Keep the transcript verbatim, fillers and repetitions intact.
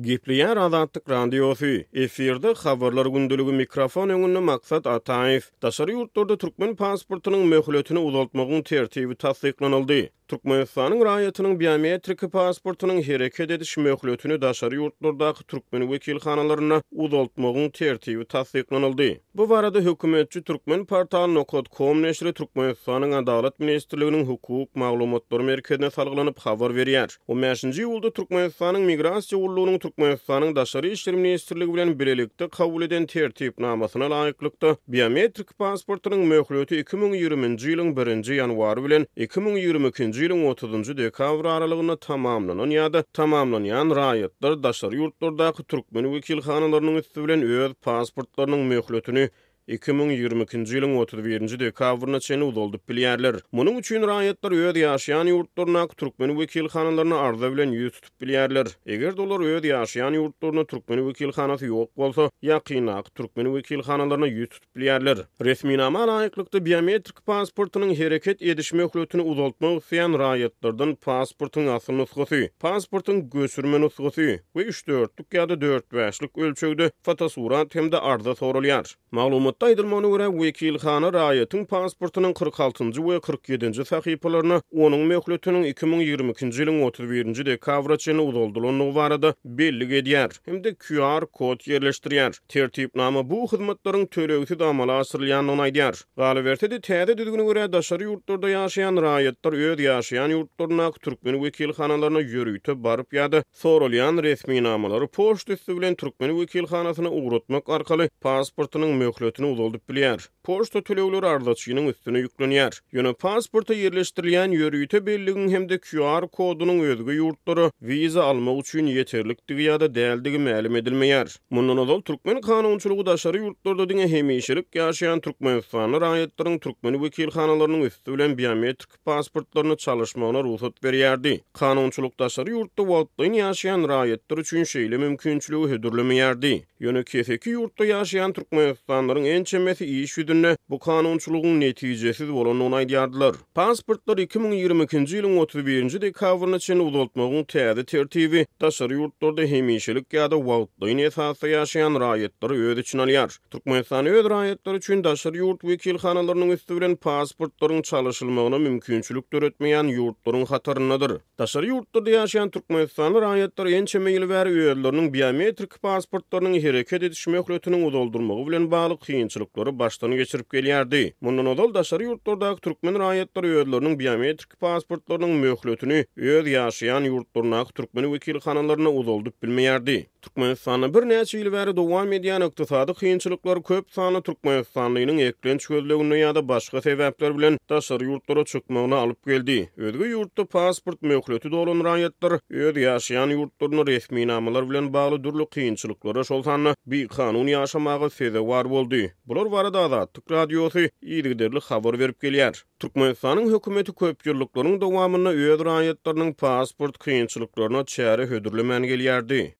Gepleýär Azatlyk Radiosy. Efirde Habarlar gündeligi, mikrofon öňünde Maksat Ataýew. Daşary ýurtlarda türkmen pasportynyň möhletini uzaltmagyň tertibi tassyklanyldy. Türkmenistanyň raýatynyň biometrik pasportynyň hereket ediş möhletini daşary ýurtlardaky türkmen wekilhanalarynda uzaltmagyň tertibi tassyklanyldy. Bu barada hökümetçi Turkmenportal nokat com neşiri Türkmenistanyň Adalat ministrliginiň hukuk maglumatlary merkezine salgylanyp habar berýär. On bäşinji iýulda Türkmenistanyň Migrasiýa gullugynyň Türkmenistanyň Daşary işler ministrligi bilen bilelikde kabul eden tertipnamasyna laýyklykda, biometrik pasportynyň möhleti iki müň ýigriminji ýylyň birinji ýanwary bilen iki müň ýigrimi ikinji ýylyň otuzynjy dekabr aralygynda tamamlanan ýa-da tamamlanýan raýatlar daşary ýurtlardaky türkmen wekilhanalarynyň üsti bilen öz pasportlarynyň möhletini iki müň ýigrimi ikinji ýylyň otuz birinji dekabryna çenli uzaldyp bilýärler. Munuň üçin raýatlar öz ýaşaýan ýurtlaryndaky türkmen wekilhanalaryna arza bilen ýüz tutup bilýärler. Eger-de olar öz ýaşaýan ýurtlarynda türkmen wekilhanasy ýok bolsa, ýakyndaky türkmen wekilhanalaryna ýüz tutup bilýärler. Resminama laýyklykda biometrik pasportynyň hereket ediş möhletini uzaltmak isleýän raýatlardan pasportyň asyl nusgasy, pasportyň göçürme nusgasy we üç dörtlük ýa-da dört bäşlik ölçegde fotosurat hem-de arza soralýar. Maglumatda aýdylmagyna görä, wekilhana raýatyň pasportynyň kyrk altynjy we kyrk ýedinji sahypalaryna onuň möhletiniň iki müň ýigrimi ikinji ýylyň otuz birinji dekabra çenli uzaldylandygy barada bellik edýär hem-de Q R kod ýerleşdirýär. Tertipnama bu hyzmatlaryň tölegsiz amala aşyrylýandygyny aýdýar. Galyberse-de, täze düzgüne görä daşary ýurtlarda ýaşaýan raýatlar öz ýaşaýan ýurtlaryndaky türkmen wekilhanalaryna ýörite baryp ýa-da soralýan resminamalary poçta üsti bilen türkmen wekilhanasyna ugratmak arkaly pasportynyň möhletini uzaldyp bilýär. Poçta tölegleri arzaçynyň üstüne ýüklenýär. Ýöne pasporta ýerleşdirilýän ýörite belligiň hem-de Q R kodunyň özge ýurtlara wiza almak üçin ýeterlikdigi ýa-da däldigi mälim edilmeýär. Mundan ozal türkmen kanunçylygy daşary ýurtlarda diňe hemişelik ýaşaýan Türkmenistanly raýatlaryň türkmen wekilhanalarynyň üsti bilen biometrik pasportlaryny çalyşmagyna rugsat berýärdi. Kanunçylyk daşary ýurtda wagtlaýyn ýaşaýan raýatlar üçin şeýle mümkinçiligi hödürlemeýärdi. Ýöne keseki ýurtda ýaşaýan Türkmenistanlylaryň ençemesi iş ýüzünde bu kanunçylygyň netijesiz bolandygyny aýdýardylar. Pasportlar iki müň ýigrimi ikinji ýylyň otuz birinji dekabryna çenli uzaltmagyň täze tertibi daşary ýurtlarda hemişelik ýa-da wagtlaýyn esasda ýaşaýan raýatlary öz içine alýar. Türkmenistan öz raýatlary üçin daşary ýurt wekilhanalarynyň üsti bilen pasportlaryň çalyşylmagyna mümkinçilik döretmeýän ýurtlaryň hataryndadyr. Daşary ýurtlarda ýaşaýan Türkmenistanly raýatlar ençeme ýyl bäri özleriniň biometrik pasportlarynyň hereket ediş möhletiniň uzaldylmagy bilen bagly kynçylyklary başdan geçirip gelýärdi. Mundan ozal daşary ýurtlardaky türkmen raýatlary özleriniň biometrik pasportlarynyň möhletini öz ýaşaýan ýurtlaryndaky türkmen wekilhanalaryna uzaldyp bilmeýärdi. Türkmenistanda birnäçe ýyl bäri dowam edýän ykdysady kynçylyklar köp sanly Türkmenistanlynyň eklenç gözleginde ýa-da başga sebäpler bilen daşary ýurtlara çykmagyna alyp geldi. Özge ýurtda pasport möhleti dolan raýatlar öz ýaşaýan ýurtlarynda resminamalar bilen bagly dürli kynçylyklara, şol sanda bikanun ýaşamaga sezewar boldy. Bular barada Azatlyk Radiosy yzygiderli habar berip gelýär. Türkmenistanyň hökümeti köp ýyllyklaryň dowamynda öz raýatlarynyň pasport kynçylyklaryna çäre hödürlemän gelýärdi.